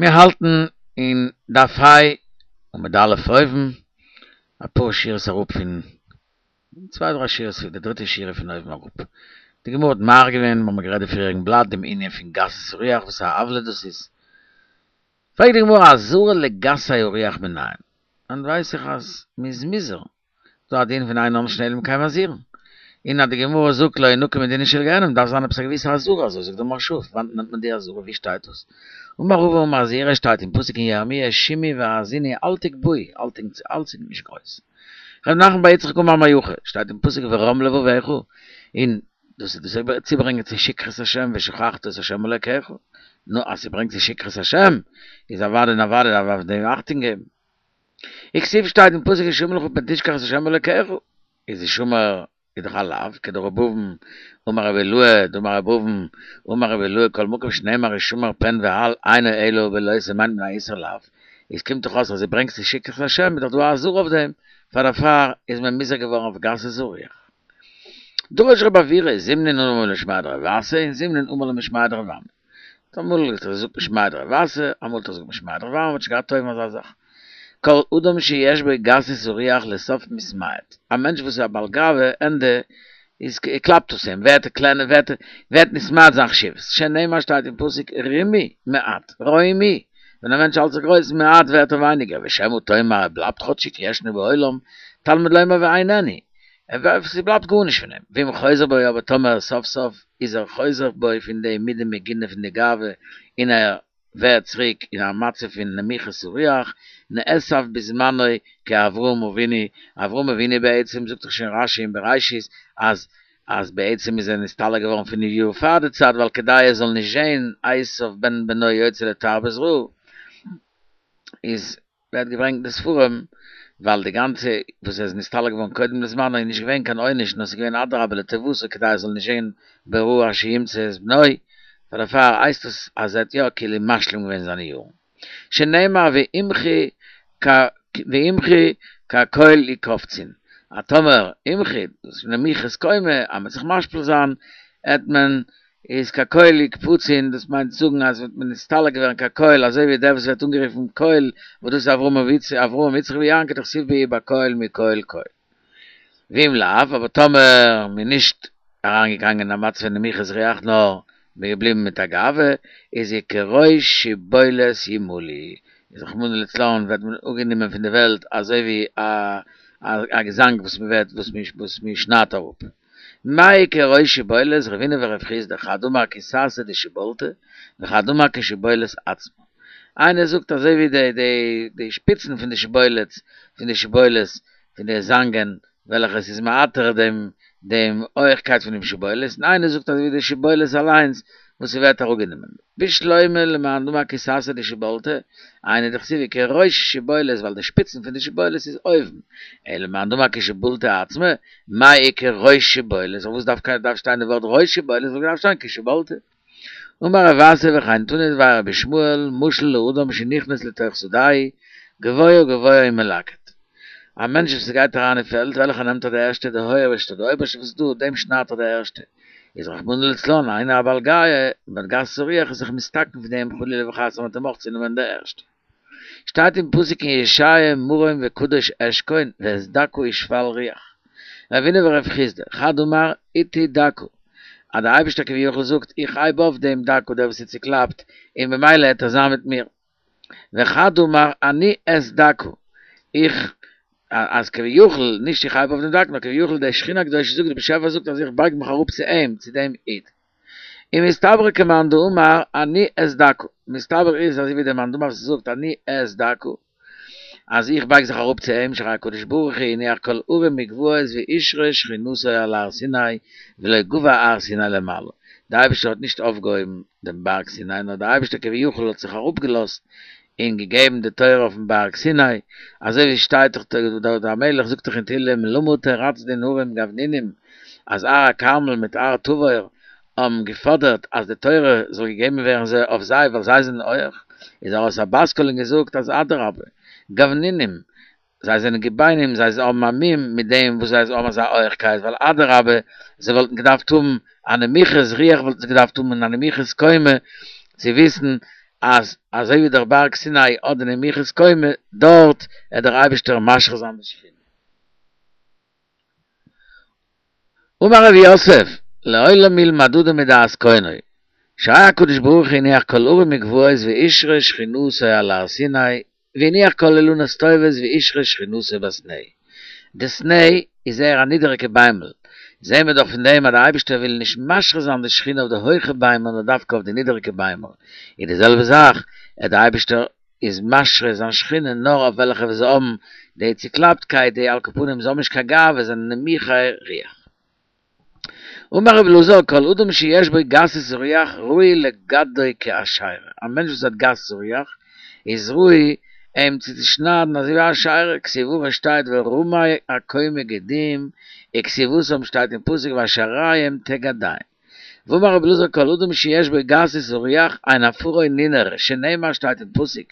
מיר האלטן אין דף ה' עמוד א' אויבן, אפאר שורות אראפ פון, צוויי דריי שורות פון די דריטע שורה פון אויבן אראפ. די גמרא האט מאריך געווען, מיר האבן גערעדט די פריעריגן בלאט, דעם ענין פון גסות הרוח וואס א עוולה דאס איז. פרעגט די גמרא אזהרה לגסי הרוח מנין? וואנעט ווייס איך אז מ'איז מוזהר דא א דין פון אין עונשין אלא אם כן מזהירין, און אז די גמרא זאגט לא ינקה מדינה של גיהנם דארף זיין עפעס א געוויסע אזהרה אזוי זאגט די מהרש"א, פון וואנעט נעמט מען די אזהרה ווי שטייט דאס? אמר רבא אמר זעירא שטייט אין פסוק אין ירמיה שמעו והאזינו אל תגבהו אל האלט זיך נישט גרויס. ר' נחמן בר יצחק אמר מהכא שטייט אין פסוק ורם לבבך און דאס איז דאס צוברענגען צו שכחת השם ושכחת את השם אלוקיך, נו אז ס'ברענגט צו שכחת השם איז אוודאי און אוודאי דארף מען אויף דעם אכטונג געבן. וכתיב שטייט אין פסוק השמר לך פן תשכח את השם אלוקיך, איז השמר איז דאך א לאו, כדרבי אבין אמר רבי אילעא דאמר רבי אבין אמר רבי אילעא כל מקום שנאמר השמר פן ואל אינו אלא בלא תעשה מיינט מען א איסור לאו, איז קומט דאך אויס אז דו ברענגסט צו שכחת השם איז דאך דא א אזהרה אויף דעם, פאר דערפאר איז מען מוזהר געווארן אויף גסות הרוח. דרש רב עוירא זימנין אמר משמיה דרב אסי און זימנין אמר משמיה דרב אמי. אמאל האט ער געזאגט משמיה דרב אסי, אמאל האט ער געזאגט משמיה דרב אמי, מ'האט שוין געהאט אויבן אזא זאך. כל אדם שיש בו גסות הרוח לסוף מתמעט, א מענטש וואס איז א בעל גאווה, ענדע איז קלאפט עס אים, ווערט ער קלענער, ווערט ווערט נתמעט זיין חשיבות, שנאמר שטייט אין פסוק רמי מעט, רומי, ווען א מענטש האלט זיך גרויס מעט ווערט ער ווייניגער, ושמא תאמר ער בלייבט כאטשיג ישנו בעולם, תלמוד לומר ואיננו, ס'בלייבט גארנישט פון אים, ואם חוזר בו אבער טאמער סוף סוף איז ער חוזר בו פון די מידה מגונה פון די גאווה און ער ווערט צוריק אין א מצב פון נמיכות הרוח, נאסף בזמנו כאברהם אבינו, אברהם אבינו בעצם זאגט דאך שוין רש"י אין בראשית אז אז בעצם איז ער נסתלק געווארן פינף יאר פאר די צייט ווייל כדי ער זאל נישט זען עשיו בן בנו יוצא לתרבות רעה איז ווערט געברענגט אין די ספרים, ווייל די גאנצע וואס ער איז נסתלק געווארן קודם לזמנו איז נישט געווען קיין עונש נאר ס'איז געווען אדרבה לטובתו כדי ער זאל נישט זען ברעה אשר ימצא את בנו, פאר דערפאר הייסט עס אז ער האט יא כאילו משלים געווען זיינע יארן. שנאמר ואמחי ואמחי כקול יקבצון, אז טאמער אמחי, דאס איז נמיכות קומה, אז מ'וועט זיך משפיל זיין, עט מען איז כקול יקבצון, דאס מיינט זאגן אז וועט מען נסתלק ווערן כקול, אזוי ווי דער וואס ווערט אנגערופן קול, וואס דאס איז אברהם יצחק ויעקב דכתיב בהו בקול מקול קול. ואם לאו, אבער טאמער מ'איז נישט אריינגעגאנגען אין א מצב פון נמיכות רוח נאר מ'איז געבליבן מיט א גאווה, איז וכראש שבולת ימלו, איז רחמנא לצלן ווערט מען אפגענומען פון די וועלט אזוי ווי א געזאנג וואס מ'ווערט וואס מ'שניידט אראפ. מאי כראש שבולת רבינא ורב חסדא חד אמר כסאסא דשיבולתא וחד אמר כשבולת עצמה איינער זאגט אזוי ווי די די די שפיצן פון די שבולת פון די שבולת פון די זאנגען וועלכע עס איז מעטר דעם דעם הויכקייט פון דעם שבולת און איינער זאגט אזוי ווי די שבולת אליינס וואס ס'ווערט אראפגענומען בשלמא למאן דאמר כסאסא דשיבולתא, היינו דכתיב כראש שבולת ווייל די שפיצן פון די שבולת איז אויבן, אלא למאן דאמר כשבולתא עצמה, מאי איכא ראש שבולת, פארוואס דארף דארף שטיין די ווארט ראש שבולת וואלט געדארפט שטיין כשבולתא. אמר רב אסי וכן תנא דבי רבי ישמעאל משל לאדם שנכנס לתוך שדהו גבוה גבוה הוא מלקט. א מענטש וואס גייט אריין אין פעלד וועלכע נעמט ער די ערשטע די הויעכסטע די אויבערשטע וואס איז דא דעם שניידט ער די ערשטע. איז רחמנא לצלן איינער א בעל גאוה מיט גסות הרוח איז זיך מתתקן פון דעם חלילה וחס אז מ'וועט אים אויך צונעמען די ערשטע. שטייט אין פסוק אין ישעיה מרום וקדוש אשכון ואת דכא ושפל רוח. רבינא ורב חסדא, חד אמר אתי דכא, אז דער אייבערשטער כביכול זאגט איך הייב אויף דעם דכא דער וואס איז צוקלאפט און במילא העט ער זיין מיט מיר. וחד אמר אני את דכא, איך, אז כביכול, נישט איך הייב אויף דעם דכא, נאר כביכול דער שכינה הקדושה זאגט, דער באשעפער זאגט אז איך בייג מיך אראפ צו אים, צו דעם איד. און מסתברא כמאן דאמר אני את דכא, מסתבר איז אזוי ווי דער מאן דאמר וואס זאגט אני את דכא, אז איך בייג זיך אראפ צו אים, שהרי הקדוש ברוך הוא הניח כל הרים וגבעות והשרה שכינתו על הר סיני ולא גבה הר סיני למעלה, דער אייבערשטער האט נישט אויפגעהויבן דעם בארג סיני, נאר דער אייבערשטער כביכול האט זיך אראפגעלאזט און געגעבן די תורה אויפן בארג סיני, אזוי ווי שטייט דאך דוד המלך זאגט דאך אין תהילים למה תרצדון הרים גבנונים, אז הר הכרמל מיט הר תבור האבן געפאדערט אז די תורה זאל געגעבן ווערן זיי אויף זיי ווייל זיי זענען הויעך, איז ארויס א בת קול און געזאגט אז אדרבה, גבנונים, זיי זענען גביינים, זיי האבן א מום מיט דעם וואס זיי האבן אזא הויעכקייט, ווייל אדרבה, זיי וואלטן געדארפט האבן א נמיכות רוח וואלטן זיי געדארפט האבן און א נמיכות קומה צו וויסן. אז אזוי ווי דער בארג סיני האט די נמיכות קומה, דארט עט דער אייבישטער משרה זיין די שכינה. אמר רב יוסף, לעולם ילמד אדם מדעת קונו, שהיה הקדוש ברוך הוא הניח כל הרים וגבעות והשרה שכינותו על הר סיני, והניח כל אילנות טובות והשרה שכינותו בסנה. די סנה איז זייער א נידעריגע ביימל, זעהן מיר דאך פון דעם אז דער אייבערשטער וויל נישט משרה זיין די שכינה אויף די הויכע ביימער נאר דווקא אויף די נידעריגע ביימער, און די זעלבע זאך אז דער אייבערשטער איז משרה זיין שכינה נאר אויף וועלכע וואס האבן די צוקלאפטקייט, די על כל פנים זיי האבן נישט קיין גאווה, זענען נמוכי רוח. אמר רבי אלעזר כל אדם שיש בו גסות רוח ראוי לגדעו כאשרה, א מענטש וואס האט גסות רוח איז ראוי אים צו צושניידן אזוי ווי א אשרה, כתיב הכא שטייט ורמי הקומה גדום, וכתיב התם שטייט אין פסוק ואשריהם תגדעם. ואמר רבי אלעזר כל אדם שיש בו גסות רוח אין עפרו נינר שנאמר שטייט אין פסוק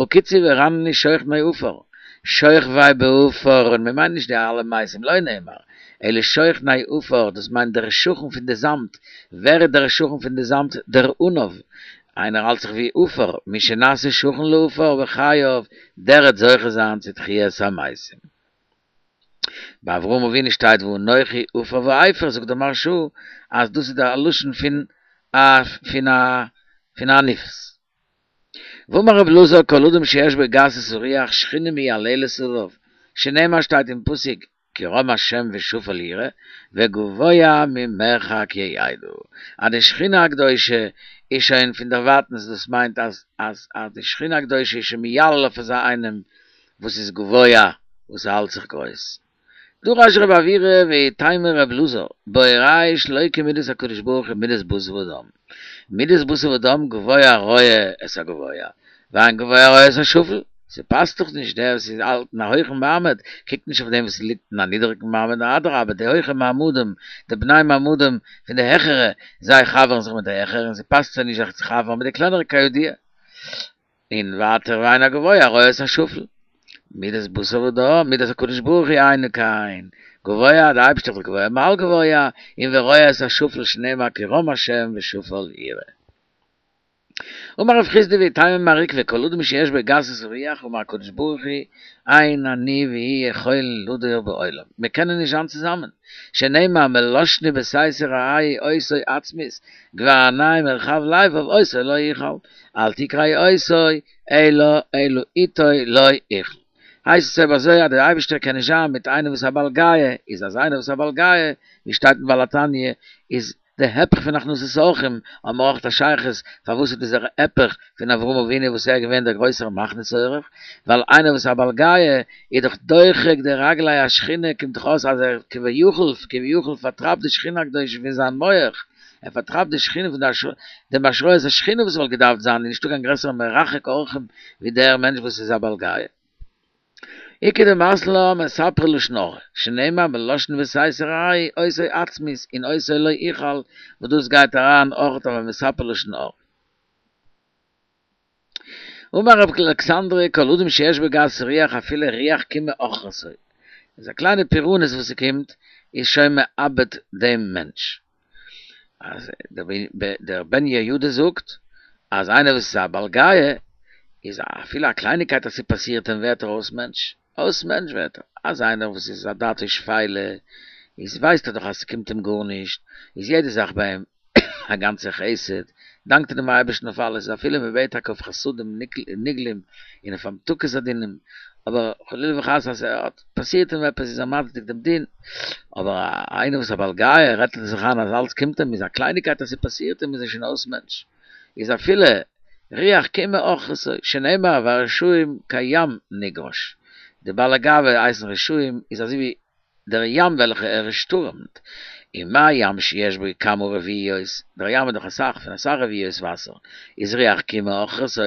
הקיצו ורננו שוכני עפר, שוכבי בעפר און מען מיינט נישט די אלע מתים לא נאמר אלא שוכני עפר דאס מיינט דער שכן פון די זאמד, ווער איז דער שכן פון די זאמד? דער עניו, איינער האלט זיך ווי עפר, מי שנעשה שכן לעפר בחייו דער וועט זוכה זיין צו תחיית המתים. ביי אברהם אבינו שטייט ואנכי עפר ואפר זאגט דער מהרש"א אז דאס איז דער לשון פון א פון א פון עניוות. ואמר רבי אלעזר כל אדם שיש בו גסות הרוח שכינה מייללת עליו, שנאמר שטייט אין פסוק כי רם השם ושפל יראה וגבוה ממרחק ידע, אז די שכינה הקדושה איז שוין פון דערווייטנס דאס מיינט אז אז אז די שכינה הקדושה איז שוין מיילל אויף אזא איינעם וואס איז גבוה וואס האלט זיך גרויס. דרש רב עוירא ואיתימא רב אלעזר, בהוראי שלא כמידת הקדוש ברוך הוא מידת בשר ודם. מידת בשר ודם גבוה רואה את הגבוה, ואין גבוה רואה את השפל. ס'פאסט דאך נישט, דער וואס איז האלט אין א הויכן מעמד, קוקט נישט אויף דעם וואס ליגט אין א נידעריגן מעמד, אדרבה די הויכע מעמדים, די בני מעמדים פון די העכערע, זיי חבר'ן זיך מיט די העכערע און ס'פאסט זיי נישט זיך צו חבר'ן מיט די קלענערע כידוע. און ווייטער ואין הגבוה רואה את השפל. מידת בשר ודם, מידת הקדוש ברוך הוא אינו כן, גבוה, דער אייבערשטער איז גבוה מעל גבוה, און ורואה את השפל שנאמר כי רם השם ושפל יראה. אמר רב חסדא ואיתימא מר עוקבא כל אדם שיש בו גסות רוח אמר הקדוש ברוך הוא אין אני והוא יכולין לדור בעולם, מיר קענען נישט זיין צוזאמען, שנאמר מלשני בסתר רעהו אותו אצמית, גבה עינים ורחב לבב אותו לא אוכל, אל תקרא אותו אלא אלא איתו לא אוכל. הייסט עס אויב אזוי אז דער אייבערשטער קען נישט זיין מיט איינעם וואס איז א בעל גאוה, איז אז איינער וואס איז א בעל גאוה, ווי שטייט אין בעל התניא, איז די היפך פון הכנסת אורחים, האבן מיר אויך א שייכות, פארוואס איז דאס דער היפך פון אברהם אבינו וואס ער איז געווען דער גרויסער מכניס אורח, ווייל איינער וואס איז א בעל גאוה איז דאך דוחק די רגלי השכינה, קומט דאך אויס אז ער כביכול כביכול פארטרייבט די שכינה הקדושה פון זיין מח, ער פארטרייבט די שכינה פון די דעם השראת השכינה וואס וואלט געדארפט זיין, איז נישטא קיין גרעסערע מרחק אורחים ווי דער מענטש וואס איז א בעל גאוה. איכא דמתני לה מספרי לשון הרע, שנאמר מלשני בסתר רעהו אותו אצמית און אותו לא אוכל, וואס דאס גייט אריין אויך אויף א מספר לשון הרע. אמר רב אלכסנדרי כל אדם שיש בו גסות רוח אפילו רוח קימה עוכרתו, איז א קליינע פורענות וואס ס'קומט איז שוין מאבד דעם מענטש. אז דער בן יהוידע זאגט אז איינער וואס איז א בעל גאוה איז אפילו א קלייניקייט אז ס'פאסירט אים ווערט ער אויס מענטש, אויס מענטש ווערט ער, אז איינער וואס איז א דעתו שפלה איז ווייסט ער דאך אז ס'קומט אים גארנישט, איז יעדע זאך ביי אים א גאנצע חסד, דאנקט ער דעם אייבערשטן אויף אלעס, אפילו מען בעט טאקע אויף חסדים נגלים און אויף המתקת הדינים, אבער חלילה וחס אז ס'האט פאסירט אים עפעס איז ער מצדיק דעם דין, אבער איינער וואס איז א בעל גאוה רעדט ער זיך איין אז אלץ קומט אים, איז א קלייניקייט אז ס'פאסירט אים איז ער שוין אויס מענטש, איז אפילו רוח קימה עוכרתו, שנאמר והרשעים כים נגרש, די בעלי גאווה הייסן רשעים איז אזוי ווי דער ים וועלכע ער שטורעמט, ומה ים שיש בו כמה רביעיות, דער ים איז דאך אסאך פון אסאך רביעיות וואסער, איז רוח קימה עוכרתו,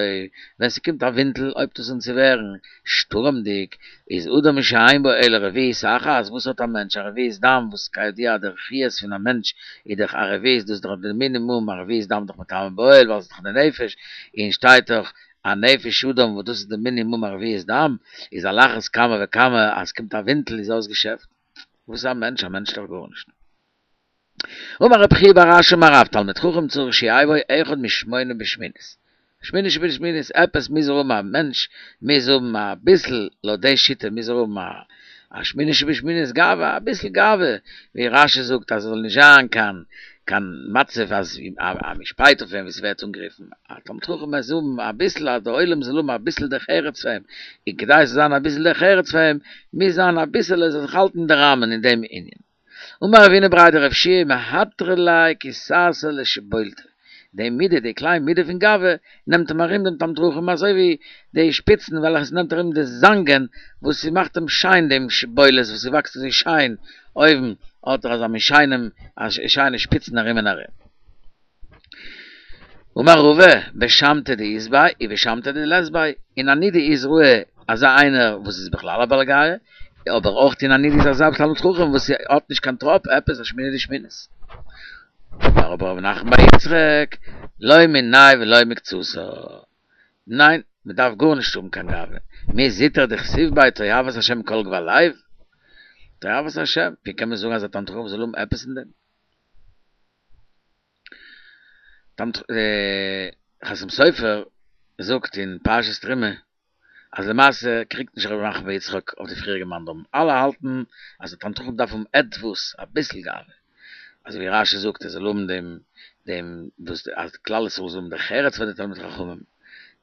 ווען ס'קומט א ווינטל הויבט עס אן צו ווערן שטורעמדיג, איז אדם שאין בו אלא רביעית אחת, וואס האט א מענטש א רביעית דם, וואס כידוע דער חיות פון א מענטש איז דאך א רביעית, דאס איז דאך די מינימום, א רביעית דם איז דאך מטמא באוהל ווייל ס'איז דאך די נפש, און שטייט דאך א נפש אדם וואס דאס איז די מינימום א רביעית דם, איז על אחת כמה וכמה אז ס'קומט א ווינטל איז אויס געשעפט. וואס איז א מענטש? א מענטש איז דאך גארנישט. אמר רב חייא בר אשי אמר רב תלמיד חכם צריך שיהא בו אחד משמונה בשמינית. שמיני שבשמינית, עפעס מוז ער האבן א מענטש מוז האבן אביסל, לויט די שיטה מוז ער האבן א א שמיני שבשמינית גאווה, אביסל גאווה, ווי רשי זאגט אז עס זאל נישט זיין קיין קיין מצב אז אז מ'שפייט אויף אים ווי ס'ווערט אנגערופן, א תלמיד חכם מוז האבן אביסל אז דער עולם זאל האבן אביסל דרך ארץ פאר אים, און כדי ס'זאל זיין אביסל דרך ארץ פאר אים, מוז זיין אביסעלע ער זאל זיך האלטן אין די ראמען אין דעם ענין. אמר רב הונא בריה דרב יהושע מהתרא ליה כי סאסא לשיבולתא, די מידה, די קליין מידה פון גאווה, נעמט אים ארום דעם תלמיד חכם אזוי ווי די שפיצן וועלכע ס'נעמט ארום די זאנגען וואס ס'מאכט אים שיין דעם שיבולת וואס ס'וואקסט אזוי שיין אויבן האט ער אזא מין שיינעם שיינע שפיצן ארום און ארום. אמר רבא, בשמתא דאית ביה ובשמתא דלית ביה, אין א נידה איז ראוי אזא איינער וואס איז בכלל א בעל גאוה, אבער אויך אין א נידה איז אזא תלמיד חכם וואס האט נישט קיין טראפ עפעס א שמיני דשמינית. אמר אבער רב נחמן בר יצחק, לא מיניה ולא מקצתיה, ניין, מען דארף גארנישט האבן קיין גאווה, מי זוטר דכתיב ביה תועבת השם כל גבה לב, תועבת השם, ווי קען מען זאגן אז א תלמיד חכם זאל האבן עפעס אין דעם? חתם סופר זאגט אין פרשת תרומה אז למעשה קריגט נישט ר' נחמן בר יצחק אויף די פריעריגע מאן דאמרים, אלע האלטן אז א תלמיד חכם דארף האבן עטוואס, אביסל גאווה, אזוי ווי רשי זאגט ער זאל האבן דעם דעם וואס אז כלל ישראל זאל האבן דרך ארץ פאר די תלמידי חכמים,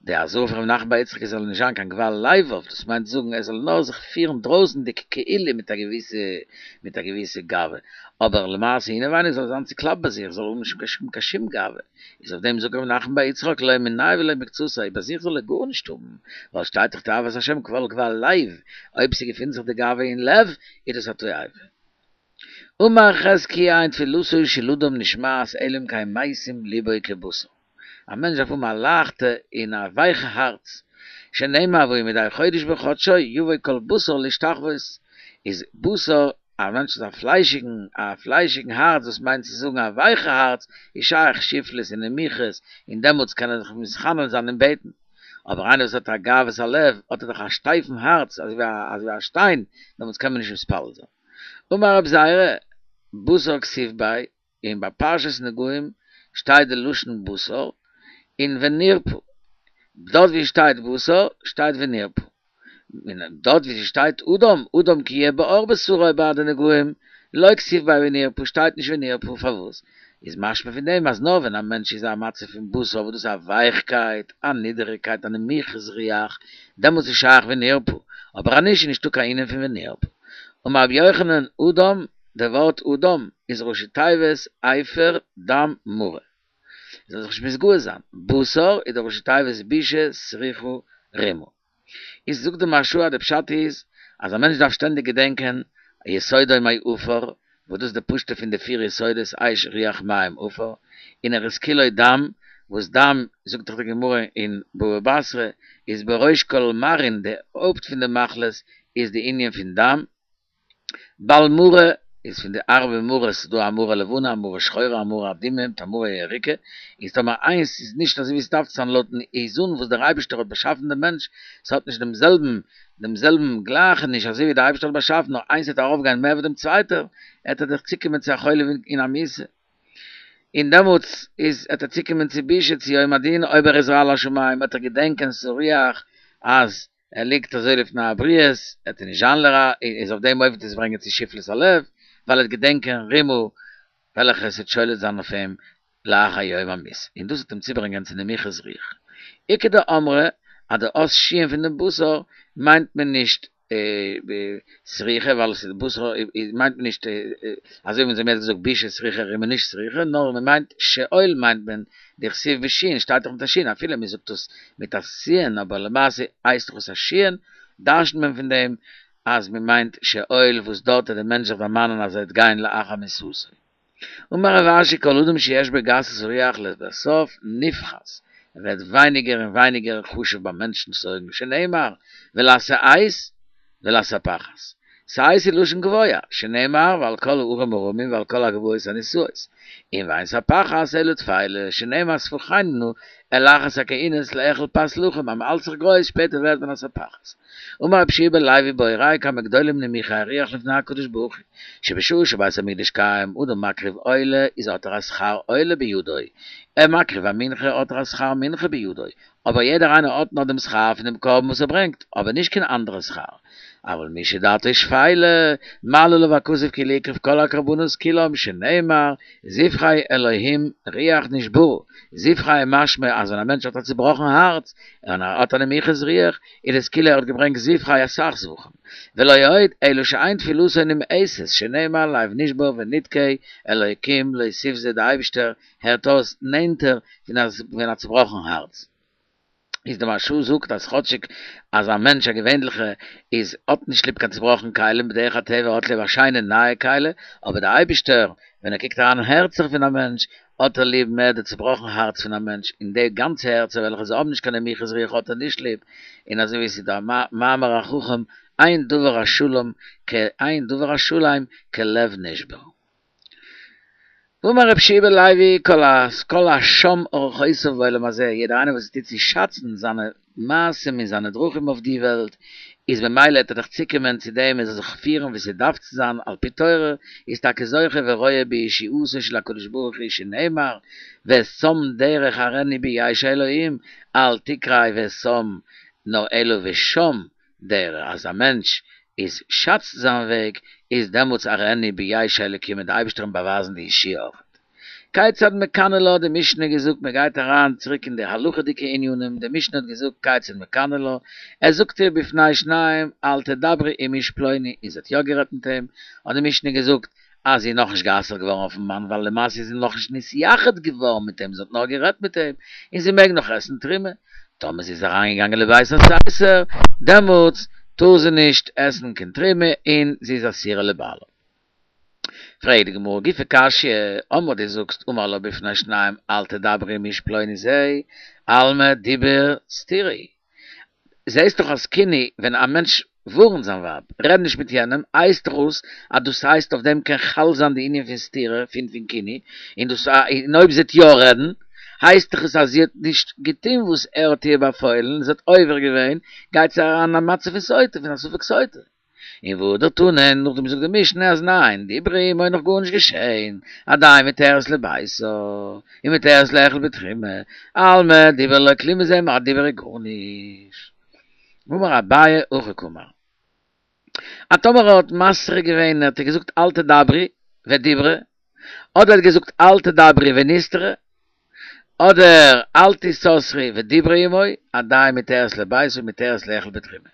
די אזהרה פון ר' נחמן בר יצחק עס זאל נישט זיין קיין גבה לבב, דאס מיינט זאגן ער זאל נאר זיך פירן דרויסנדיג כאילו מיט א געוויסע מיט א געוויסע גאווה, אבער למעשה אינעווייניג זאל ער זיין צוקלאפט ביי זיך, זאל האבן נישט קיין שום גאווה, איז אויף דעם זאגט ר' נחמן בר יצחק לא מיניה ולא מקצתיה, ביי זיך זאל ער גארנישט האבן, ווייל שטייט דאך תועבת השם כל גבה לב, אויב ס'געפינט זיך די גאווה אין לב, איז דאס א תועבה. אמר חזקיה אין תפילתו של אדם נשמעת אלא אם כן משים לבו כבשר. א מענטש דארף האבן א לייכטע און א ווייכע הארץ, שנאמר והי' מדי חודש בחדשו יבוא כל בשר להשתחוות, איז בשר, א מענטש האט א פליישיגן א פליישיגן הארץ דאס מיינט צו זאגן א ווייכע הארץ, איז שייך שפלות און נמיכות, און דעמאלטס קען ער זיך מתחנן זיין און בעטן. אבער איינער וואס האט א גאוות הלב האט ער דאך א שטייפן הארץ אזוי ווי א שטיין, דעמאלטס קען מען נישט מתפלל זיין. אמר רב זירא, בשר כתיב ביה, און ביי פרשת נגעים שטייט די לשון בשר, און ונרפא, דארט ווי שטייט בשר שטייט ונרפא, און דארט ווי ס'שטייט אדם, אדם כי יהיה בעור בשרו ביי די נגעים, לא כתיב ביה ונרפא שטייט נישט ונרפא, פארוואס? איז משמע פון דעם אז נאר ווען א מענטש איז א מצב פון בשר וואס דאס איז א ווייכקייט, א נידעריגקייט, א נמיכות רוח, דעמאלטס איז שייך ונרפא, אבער אז נישט איז נישטא קיין ענין פון ונרפא. אמר רבי יוחנן, אדם, דער ווארט אדם איז ראשי תיבות אפר דם מרה. זאל זיך נישט מתגאה זיין. בשר איז די ראשי תיבות בושה סריחה רימה. איז זאגט די מהרש"א אז די פשט איז אז א מענטש דארף שטענדיג געדענקען יסודו מעפר, וואס דאס איז די פשטות פון די פיר יסודות אש רוח מים עפר, און ער איז כולו דם, וואס דם זאגט דאך די גמרא אין בבא בתרא איז בראש כל מרעין די הויפט פון די מחלות איז די ענין פון דם, בעל מרה איז פון די ארבע מרות, ס'איז דא א מרה לבנה, א מרה שחורה, א מרה אדומה, מיט א מרה ירוקה, איז טאמער איינס איז נישט אזוי ווי ס'דארף צו זיין לויטן איזון וואס דער אייבערשטער האט באשאפן דעם מענטש, ס'האט נישט דעם זעלבן דעם זעלבן גלייכעניש אזוי ווי דער אייבערשטער האט באשאפן, נאר איינס וועט ארויפגיין מער ווי דעם צווייטער, עט ער דאך צוקומען צו א חולי און א מיתה. און דעמאלטס איז עט ער צוקומען צו בושה צו יום הדין, אויב ער איז על השמים וועט ער געדענקען סריח אז ער ליגט אזוי לפני הבריות, עט ער נישט זיין לרע, איז אויף דעם אופן וועט עס ברענגען צו שפלות הלב, ווייל ער וועט געדענקען רימה וועלכע עס וועט שולט זיין אויף אים לאחר יום המיתה, און דאס וועט אים צוברענגען צו נמיכות רוח. איכא דאמרי אז די אות שין פון דעם בשר מיינט מען נישט סריחה ווייל עס איז בשר מיינט מען נישט אזוי ווי אונז האבן יעצט געזאגט בושה סריחה רימה נישט סריחה נאר מען מיינט שאול מיינט מען דכתיב בשין שטייט דאך מיט א שין אפילו מען זאגט עס מיט א סין אבער למעשה הייסט דאך עס א שין דרש'נט מען פון דעם אז מען מיינט שאול וואס דארט וועט דער מענטש זיך דערמאנען אז ער וועט גיין לאחר מיתתו. אמר רב אשי כל אדם שיש בו גסות רוח לבסוף נפחת, ער ווערט ווייניגער און ווייניגער חשוב ביי מענטשנ'ס אויגן, שנאמר ולשאת ולספחת, שאת איז לשון גבוה, שנאמר ועל כל ההרים הרמים ועל כל הגבעות הנישאות, און ואין ספחת אלא תפלה, שנאמר שפכנו נא אלא אחת הכהונות לאכול פת לחם, אז מ'האלט זיך גרויס שפעטער ווערט מען א ספחת. אמר רבי יהושע בן לוי בו ראיה כמה גדולים נמוכי הרוח לפני הקדוש ברוך הוא, שבשעה שבית המקדש קיים אדם מקריב עולה איז האט ער א שכר עולה בידו, ער מקריב א מנחה האט ער א שכר מנחה בידו, אבער יעדער איינער האט נאר דעם שכר פון דעם קרבן וואס ער ברענגט, אבער נישט קיין אנדערע שכר. אבל מי שדעתו שפלה, מעלה עליו הכתוב כאילו הקריב כל הקרבנות כולם, שנאמר, זבחי אלהים רוח נשברה, זבחי משמע אז ווען א מענטש האט א צובראכן הארץ, און ער האט א נמיכות רוח, איז עס כאילו ער האט געברענגט זבחי אסאך זבחים. ולא עוד, אלא שאין תפילתו נמאסת, שנאמר לב נשבר ונדכה אלוקים לא תבזה די אייבישטער הערט אויס נענטער פון א צובראכן הארץ. איז די מהרש"א זאגט אז כאטשיג אז א מענטש א געווענליכע איז האט נישט ליב קיין צובראכן כלים בדרך הטבע האט ליב א שיינע נייע כלי, אבער די אייבישטער ווען ער קוקט אריין אין הערצער פון א מענטש האט ער ליב מער די צובראכן הארץ פון א מענטש און די גאנצע הערצער וועלכע זיי האבן נישט קיין נמיכות רוח האט ער נישט ליב, און אזוי ווי עס איז דא א מאמר החכם אין דבר השלם כ אין דבר השלם כלב נשבר. ואמר רבי יהושע בן לוי כל כל השם אורחותיו בעולם הזה, יעדער איינער וואס טוט צו שאצן זיינע מעשים און זיינע דרכים אויף די וועלט, איז ממילא וועט ער דאך צוקומען צו דעם ער זאל זיך פירן ווי ס'דארף צו זיין על פי תורה, איז טאקע זוכה ורואה בישועתו של הקדוש ברוך הוא שנאמר ושם דרך אראנו בישע אלהים, אל תקרי ושם נאר אלא ושם דרך אז א מענטש איז שאצט זיין וועג איז דעמאלטס אראנו בישע אלקים וועט די אייבערשטער אים באווייזן די ישועה אויך. כיצד מקנא לה האט די משנה געזאגט מען גייט אריין צוריק אין די הלכה'דיגע ענינים די משנה האט געזאגט כיצד מקנא לה ער זאגט איר בפני שניים אל תדברי עם איש פלוני און זי האט יא גערעדט מיט אים האט די משנה געזאגט אז זי איז נאכנישט גע'אסר'ט געווארן אויפן מאן ווייל למעשה איז זי נאכנישט נתייחד געווארן מיט אים זי האט נאר גערעדט מיט אים און זי מעג נאך עסן תרומה טאמער זי איז אריינגעגאנגען לבית הסתר דעמאלטס טאר זי נישט עסן קיין תרומה און זי איז אסורה לבעלה. פרעגט די גמרא גופא קשיא, אמרת דו זאגסט אמר לה בפני שניים אל תדברי עם איש פלוני זה, אלמא דיבור סתירה הוא. זעהסט דאך אז קינוי ווען א מענטש ווארנט זיין ווייב רעד נישט מיט יענעם הייסט דאך אויס אז דאס הייסט אויף דעם קען חל זיין די ענין פון סתירה פון פון קינוי און דאס און אויב זי וועט יא רעדן הייסט דאך עס אז זי האט נישט געטון וואס ער האט איר באפוילן זי האט עובר געווען גייט זי אריין אין א מצב פון סוטה פון א ספק סוטה. און והדר תני, נאכדעם זאגט די משנה אז ניין, דיברה עמו איז נאך גארנישט געשעהן, עדיין מותרת לביתה, און מותרת לאכול בתרומה, אלמא דיבור לא כלום איז א דיבור איז גארנישט. אמר אביי הכי קאמר. אז טאמער ער האט מתרה געווען האט ער געזאגט אל תדברי ודיברה, אדער האט געזאגט אל תדברי ונסתרה, אדער אל תסתרי ודיברה עמו, עדיין מותרת לביתה ומותרת לאכול בתרומה.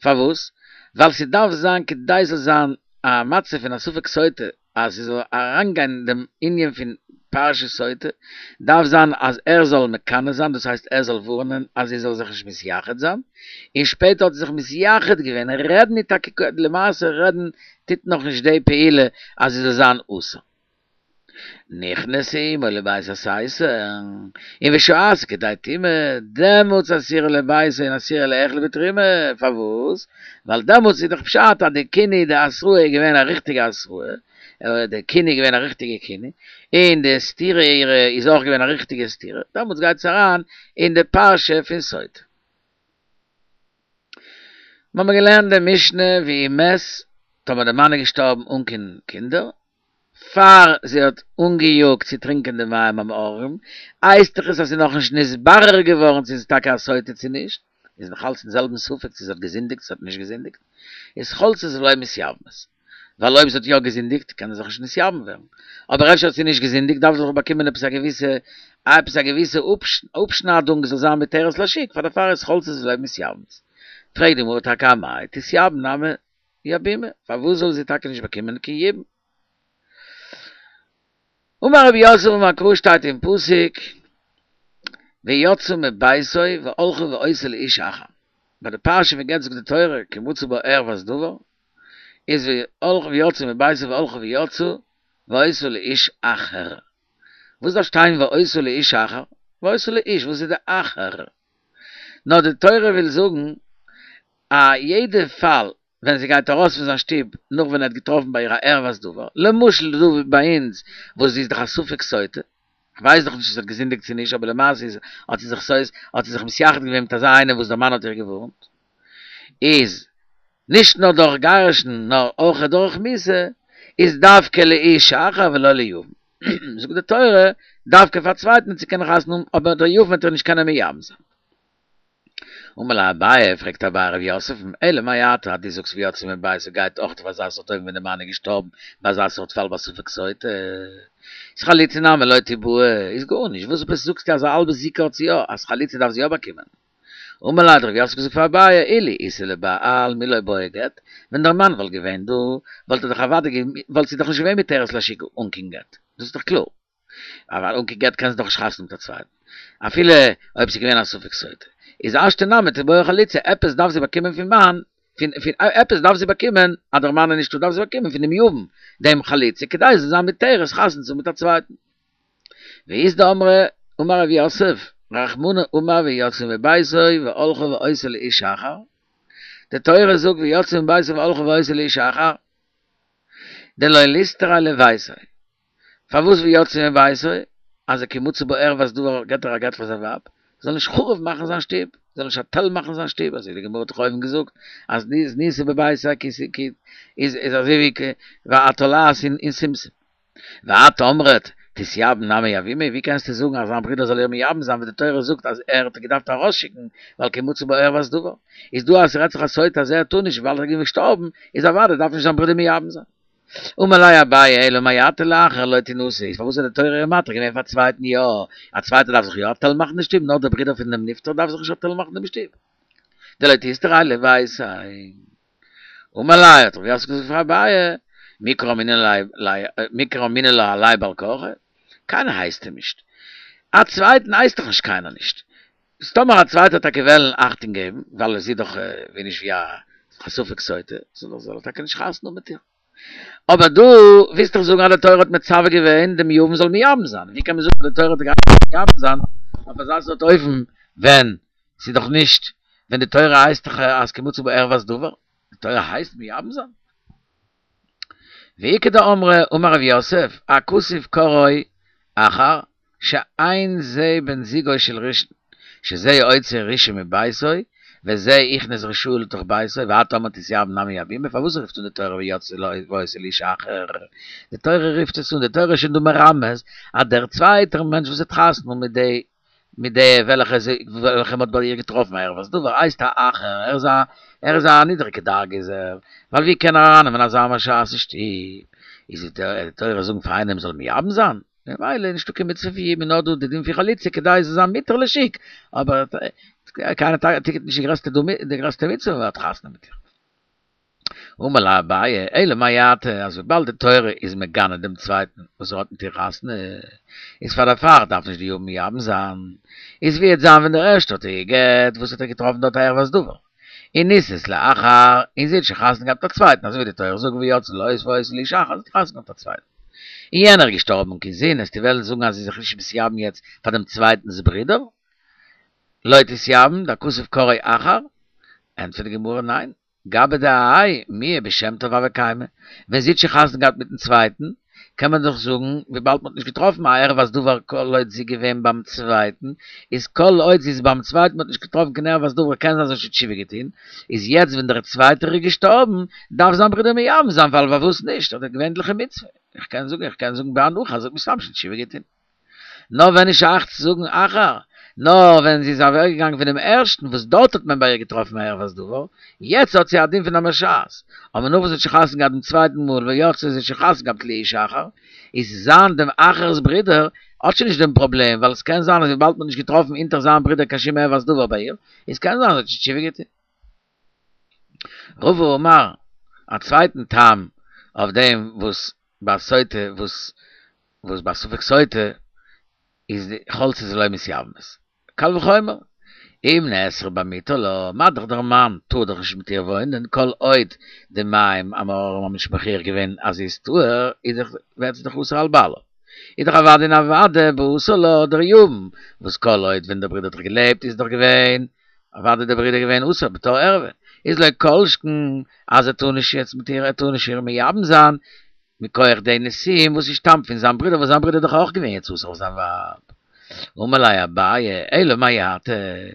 פארוואס? ווייל ס'דארף זיין כדי ס'זאל זיין א מצב פון א ספק סוטה אז ס'זאל אריינגיין אין דעם ענין פון פרשת סוטה, דארף זיין אז ער זאל מקנא זיין, דאס הייסט ער זאל ווארענען אז זי זאל זיך נישט מתייחד זיין, און שפעטער האט זי זיך מתייחד געווען, רעדן איז טאקע, למעשה רעדן טוט נאכנישט די פעולה אז זי זאל זיין אסור. נכנסה עמו לבית הסתר, און ושהתה כדי טומאה, דעמאלטס אסורה לביתה און אסורה לאכול בתרומה, פארוואס? ווייל דעמאלטס איז דאך פשט אז די קינוי די התראה איז געווען א ריכטיגע התראה, די קינוי איז געווען א ריכטיגע קינוי, און די סתירה אירע איז אויך געווען א ריכטיגע סתירה, דעמאלטס גייט עס אריין אין די פרשה פון סוטה. מיר האבן געלערנט די משנה ואם מת, טאמער די מאן איז געשטארבן אן קיין קינדער, פאר זי האט אנגעיאגט צו טרינקען די מים המאררים, הייסט דאך עס אז ס'איז נאכנישט נתברר געווארן צו ס'איז טאקע א סוטה צו נישט, איז נאך אלץ אין זעלבן ספק צו זי האט געזינדיגט צו זי האט נישט געזינדיגט, איז חולצות ולא מתייבמות, ווייל אויב זי האט יא געזינדיגט קען זי זיך נישט נתייבם ווערן, אבער אפשר האט זי נישט געזינדיגט דארף זי דאך באקומען עפעס א געוויסע עפעס א געוויסע אפשניידונג זאל זיין מותרת לשוק, פאר דערפאר איז חולצות ולא מתייבמות. פרעגט די גמרא טאקע אמאי תתייבם נמי יבומי, פארוואס זאל זי טאקע נישט באקומען קיין יבום? אמר רב יוסף אמר קרא שטייט אין פסוק ויצאה מביתו והלכה והיתה לאיש אחר, ביי די פרשה פון גט זאגט די תורה כי מצא בה ערות דבר, איז והלכה ויצאה מביתו והלכה ויצאה והיתה לאיש אחר, וואס דארף שטיין והיתה לאיש אחר? והיתה לאיש, וואס איז די אחר? נאר די תורה וויל זאגן א יעדע פאל ווען זי גייט ארויס פון זיין שטוב נאך ווען ער האט געטראפן ביי איר א ערוות דבר, למשל דא ביי אונז וואס זי איז דאך א ספק סוטה, כ'ווייס דאך נישט צו זי האט געזינדיגט צו נישט, אבער למעשה איז האט זי זיך סויז האט זי זיך מתייחד געווען מיט אזא איינער וואס דער מאן האט איר געווארנט, איז נישט נאר דורך גירושין נאר אויך דורך מיתה, איז דווקא לאיש אחר ולא ליבם. זאגט די תורה, דווקא פאר א צווייטן צו קענען חתונה האבן, אבער דער יבם וועט איר נישט קענען מייבם זיין. אמר ליה אביי, פרעגט אביי רב יוסף'ן, אלא מעתה אז דו זאגסט ויצאה מביתו גייט אויך אויף אזא סארט אופן ווען די מאן איז געשטארבן ביי אזא סארט פאל ביי ספק סוטה איז חליצה נמי לא תיבעי איז גארנישט וואס עפעס זאגסטו אז א האלבע זיקה האט זי יא אז חליצה דארף זי יא באקומען? אמר ליה האט רב יוסף געזאגט פאר אביי אילו איתיה לבעל מי לא בעי גט ווען דער מאן וואלט געווען דא וואלט ער דאך אוודאי וואלט זי דאך נישט געווען מותרת לשוק אן קיין גט דאס איז דאך קלאר. אבער אן קיין גט קען זי דאך נישט חתונה מיט א צווייטן, אפילו אויב ס'איז געווען א ספק סוטה. איז השתא נמי תיבעי חליצה, עפעס דארף זי באקומען פון מאן, פון פון עפעס דארף זי באקומען, אז דער מאן איז נישטא דארף זי באקומען פון דעם יבם דעם חליצה, כדי זי זאל זיין מותרת חתונה צו האבן מיט א צווייטן. ואית דאמרי, אמר רב יוסף, רחמנא אמר ויצאה מביתו והלכה והיתה לאיש אחר, די תורה זאגט ויצאה מביתו והלכה והיתה לאיש אחר, דלא ליסתריה לביתיה. פארוואס ויצאה מביתו? אז כי מצא בה ערות דבר געט ער א גט פאר זיין ווייב, זאל נישט חרוב מאכן זיין שטוב, זאל נישט א תל מאכן זיין שטוב, אזוי ווי די גמרא האט דאך אויבן געזאגט אז זנתה בביתיה כי איז איז אזוי ווי התולעת אין שומשום. ואת אמרת תתייבם נמי יבומי, ווי קענסטו זאגן אז זיין ברודער זאל איר מייבם זיין ווען די תורה זאגט אז ער האט געדארפט ארויסשיקן ווייל כי מצא בה ערות דבר, איז דא אז ס'רעדט זיך א סוטה אז ער טאר נישט ווייל ער איז געשטארבן, איז אוודאי דארף נישט זיין ברודער מייבם זיין. אמר ליה אביי אלא מעתה לאחר לא תינשא איז פארוואס האט די תורה איר מתיר געווען פאר א צווייטן יא, א צווייטער דארף זיך יא א תל מאכן די שטוב נאר דער ברודער פון דעם נפטר דארף זיך נישט א תל מאכן דעם שטוב דלא תיסתריה לביתיה. אמר ליה האט רב יוסף געזאגט פאר אביי מי קאמינא לה עליה בעל כרחה קיינער הייסט אים נישט א צווייטן הייסט דאך נישט קיינער נישט איז טאמער א צווייטער וועט טאקע וועלן אכטונג געבן, ווייל עס איז דאך ווי נישט ווי א ספק סוטה, זאל ער טאקע נישט חתונה האבן מיט איר. אבער דו ווילסט דאך זאגן אז די תורה האט מצווה געווען דעם יבם זאל מייבם זיין, ווי קען מען זאגן אז די תורה האט געהייסן מייבם זיין אויף אזא סארט אופן ווען ס'איז דאך נישט, ווען די תורה הייסט דאך אז כי מצא בה ערות דבר, די תורה הייסט מייבם זיין? ואיכא דאמרי אמר רב יוסף, הכתוב קראו אחר שאין זה בן זוגו של ראשון, שזה הוציא ראשון מביתו, וזה הכניס רשעה לתוך ביתו, ואת אמרת תתייבם נמי יבומי, פארוואס רופט אן די תורה ויצאה והיתה לאיש אחר? די תורה רופט עס אן, די תורה איז שוין דא מרמז אז דער צווייטער מענטש וואס האט חתונה מיט די מיט די וועלכע זי וועלכע מ'האט ביי איר געטראפן ערות דבר הייסט א אחר, ער איז א ער איז א נידריגע דרגה איז ער, ווייל ווי קען ער ארייננעמען אזא מרשעת אין שטוב, איז די תורה זאגן פאר איינעם זאל מייבם זיין, ממילא איז נישטא קיין מצוה פון יבום נאר דא די דין פון חליצה כדי זאל זיין מותר לשוק, אבער קיינער טוט נישט די גרעסטע די גרעסטע מצוה ווען מ'האט חתונה מיט איר. אמר ליה אביי, אלא מעתה, אז וויבאלד די תורה איז מגנה דעם צווייטן וואס ער האט מיט איר חתונה, איז פאר דערפאר דארף נישט די יבם מייבם זיין. איז ווי וועט זיין ווען דער ערשטער האט איר גע'גט, וואס האט ער געטראפן דארט א ערות דבר, און נישאת לאחר, און זי האט שוין חתונה געהאט מיט א צווייטן, אזוי ווי די תורה זאגט ויצאה לו והיתה לאיש אחר, זי האט חתונה געהאט מיט א צווייטן. און יענער איז געשטארבן אן קיין זון, וועסטו וועלן זאגן אז זי איז זיך נישט מתייבם יעצט פאר דעם צווייטנס ברודער? לא תתייבם, דהכתוב קראו אחר? ענטפערט די גמרא ניין, גבי דהאי מיהא בשם טוב הוה קיימא, ווען זי האט שוין חתונה געהאט מיטן צווייטן, קען מען דאך זאגן, וויבאלד מ'האט נישט געטראפן א ערות דבר כל עוד זי געווען ביים צווייטן, איז כל עוד זי איז ביים צווייטן מ'האט נישט געטראפן קיין ערות דבר קען זיין זי האט שוין תשובה געטון, איז יעצט ווען דער צווייטער איז געשטארבן, דארף זיין ברודער מייבם זיין ווייל פארוואס נישט, אדער געווענליכע מצוה, איך קען זאגן איך קען זאגן בהנחה אז זי האט מסתם שוין תשובה געטון. נאר ווען איז שייך צו זאגן אחר, נאר ווען זי איז אוועקגעגאנגען פונעם ערשטן וואס דארט האט מען ביי איר געטראפן א ערות דבר, יעצט האט זי א דין פון א מרשעת, אבער נאך וואס זי האט שוין חתונה געהאט דעם צווייטן מאל ויצאה זי האט שוין חתונה געהאט לאיש אחר, איז זיין דעם אחר'ס ברודער האט שוין נישט דעם פראבלעם, ווייל עס קען זיין אז וויבאלד מען האט נישט געטראפן אונטער זיין ברודער קיין שום ערות דבר ביי איר, איז קען זיין אז זי האט שוין תשובה געטון. רבא אמר, א צווייטן טעם אויף דעם וואס ביי סוטה וואס וואס ביי ספק סוטה איז די חולצות ולא מתייבמות. קל וחומר, אם נאסרה במותר לה, מה דאך דער מאן טאר דאך נישט מיט איר וואוינען כל עוד די מים המאררים האבן נישט מוכיח געווען אז זי איז טהור, איז דאך ווערט זי דאך אסור על בעלה. איז דאך אוודאי און אוודאי באסור לה דער יבם, וואס כל עוד ווען דער ברודער האט דאך געלעבט איז דאך געווען אוודאי דער ברודער געווען אסור בתור ערווה, איז לא כל שכן אז ער טאר נישט יעצט מיט איר ער טאר נישט איר מייבם זיין. מכח די נישואים וואס ס'שטאמט פון זיין ברודער וואס זיין ברודער איז דאך אויך געווען יעצט אסור אויף זיין ווייב. אמר ליה אביי, אלא מעתה,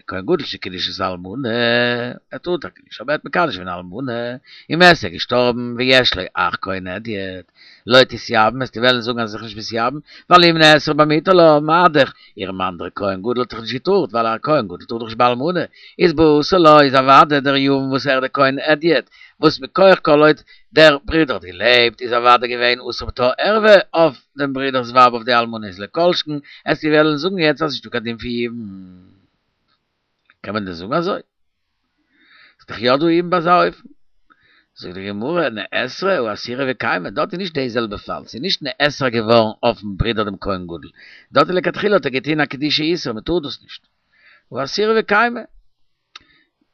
כהן גדול שקידש את האלמנה, ער טאר טאקע נישט, אבער ער האט מקדש געווען א אלמנה, ומת איז ער געשטארבן, ויש לו אח כהן הדיוט, לא תתייבם, וועסטו וועלן זאגן אז זי איז זיך נישט מתייבם, ווייל אם נאסרה במיתה לה, מה דאך, איר מאן דער כהן גדול האט דאך נישט געטארט, ווייל א כהן גדול טאר דאך נישט ביי אלמנה, איז באסור לה איז אוודאי דער יבם וואס ער דער כהן הדיוט, וואס מכח כל עוד דער ברודער האט געלעבט איז אוודאי געווען אסור בתור ערווה אויף דעם ברודער'ס ווייב אויף די אלמנה איז לא כל שכן וועסטו וועלן זאגן יעצט אז נישטא קיין דין פון יבום. קען מען דען זאגן אזוי? ס'איז דאך יא דא יבום ביי אזא אופן. זאגט די גמרא, נאסרה הא אסירא וקיימא, דארט איז נישט די זעלבע פאל, ס'איז נישט נאסרה געווארן אויפן ברודער דעם כהן גדול, דארט איז לכתחילה האט ער געטון א קידושי איסור, מ'טאר דאס נישט. הא אסירא וקיימא.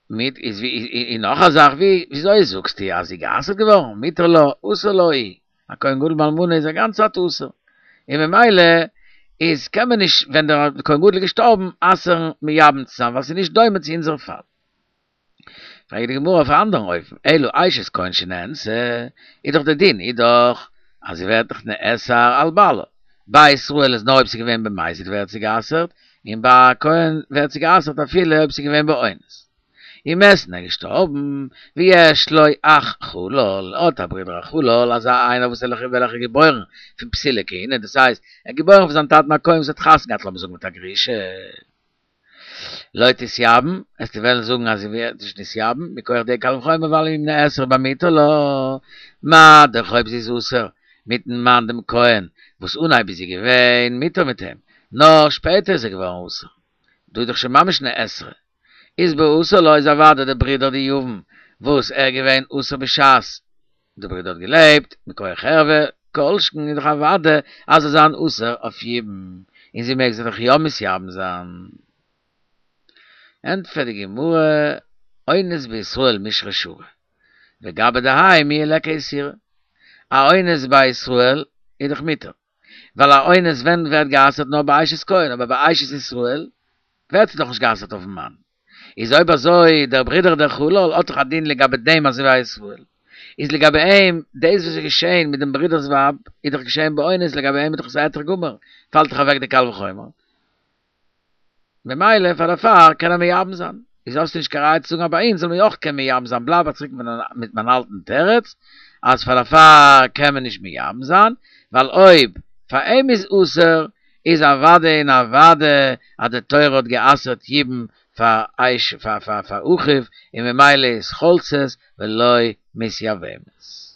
מיט איז ווי און נאך א זאך ווי וויאזוי זאגסטו אז זי גע'אסר'ט געווארן מותר לה אסור לה הוא א כהן גדול באלמנה איז א גאנצע צייט אסור און ממילא איז קען מען נישט ווען דער כהן גדול איז געשטארבן אסר'ן מייבם צו זיין ווייל ס'איז נישט דומה צו אונזער פאל. פרעגט די גמרא אויף א אנדערן אופן אלא אשת כהן שנאנסה איז דאך די דין איז דאך אז זי ווערט דאך נאסר על בעלה ביי ישראל איז נאר אויב ס'איז געווען במזיד ווערט זי גע'אסר'ט, און ביי א כהן ווערט זי גע'אסר'ט אפילו אויב ס'איז געווען באונס. ומת און ער איז געשטארבן, ויש לו אח חלל, האט א ברודער א חלל, אזא איינער וואס וועלכער איז געבוירן פון פסולי כהונה, דאס הייסט, ער איז געבוירן פון זיין טאטן א כהן וואס האט חתונה געהאט לאמיר זאגן מיט א גרושה. לא תתייבם, וועסטו וועלן זאגן אז זי ווערט נישט נתייבם, מכח די קל וחומר ווייל אם נאסרה במיתה לה, מה דאך אויב זי איז אסור מיטן מאן דעם כהן, וואס אנהייב איז זי געווען מותר מיט אים, נאר שפעטער איז ער געווארן אסור, דא איז דאך שוין ממש נאסרה, איז באסור לה איז אוודאי די ברודער די יבם וואס ער געווען אסור בשעת די ברודער האט געלעבט, מכח ערווה, כל שכן איז דאך אוודאי אז זאל זיין אסור אויף יבום, און זי מעג זיך דאך יא מתייבם זיין. ענטפערט די גמרא, אונס בישראל מישרא שרי, וגבי דהאי מיהא ליכא איסורא, א אונס ביי ישראל איז דאך מותר, ווייל א אונס ווען ווערט גע'אסר'ט נאר ביי אשת כהן, אבער ביי אשת ישראל ווערט עס דאך נישט גע'אסר'ט אויפן מאן. איז אויב אזוי דער ברודער דער חלל האט דאך א דין לגבי דעם אזוי ווי א ישראל, איז לגבי אים דאס וואס איז געשעהן מיט דעם ברודער'ס ווייב איז דאך געשעהן באונס לגבי אים איז דאך עס א היתר גמור, פאלט דאך אוועק די קל וחומר, ממילא פאר דערפאר קען ער מייבם זיין, איז האסטו נישט קיין ראיה צו זאגן אז ביי אונז זאל מען אויך קענען מייבם זיין, בלייב איך צוריק מיט מיין אלטן תירוץ אז פאר דערפאר קען מען נישט מייבם זיין, ווייל אויב פאר אים איז אסור איז אוודאי און אוודאי אז די תורה האט גע'אסר'ט יבום פאר אש פאר פאר פאר אחיו און ממילא איז חולצת ולא מתייבמת.